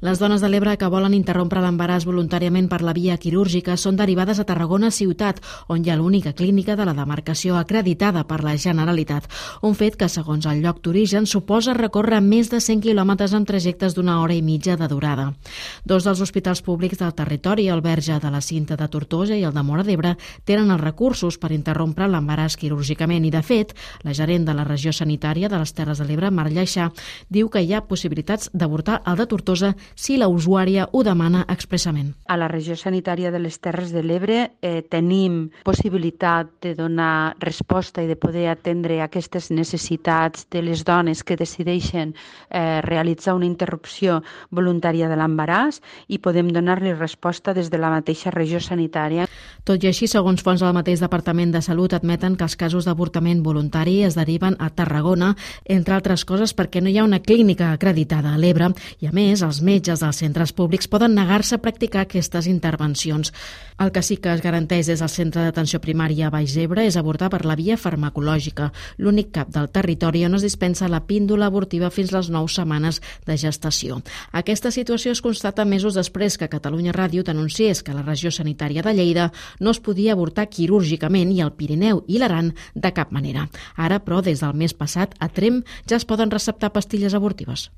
Les dones de l'Ebre que volen interrompre l'embaràs voluntàriament per la via quirúrgica són derivades a Tarragona ciutat, on hi ha l'única clínica de la demarcació acreditada per la Generalitat. Un fet que, segons el lloc d'origen, suposa recórrer més de 100 quilòmetres amb trajectes d'una hora i mitja de durada. Dos dels hospitals públics del territori, el Verge de la Cinta de Tortosa i el de Móra d'Ebre, tenen els recursos per interrompre l'embaràs quirúrgicament i, de fet, la gerent de la regió sanitària de les Terres de l'Ebre, Mar Lleixà, diu que hi ha possibilitats d'avortar el de Tortosa si la usuària ho demana expressament. A la regió sanitària de les Terres de l'Ebre tenim possibilitat de donar resposta i de poder atendre aquestes necessitats de les dones que decideixen realitzar una interrupció voluntària de l'embaràs i podem donar-li resposta des de la mateixa regió sanitària. Tot i així, segons fonts del mateix Departament de Salut, admeten que els casos d'avortament voluntari es deriven a Tarragona, entre altres coses perquè no hi ha una clínica acreditada a l'Ebre i, a més, els metges dels centres públics poden negar-se a practicar aquestes intervencions. El que sí que es garanteix des del Centre d'Atenció Primària Baix Ebre és avortar per la via farmacològica, l'únic cap del territori on es dispensa la píndola abortiva fins les 9 setmanes de gestació. Aquesta situació es constata mesos després que Catalunya Ràdio denunciés que a la regió sanitària de Lleida no es podia avortar quirúrgicament i al Pirineu i l'Aran de cap manera. Ara, però, des del mes passat, a Tremp ja es poden receptar pastilles abortives.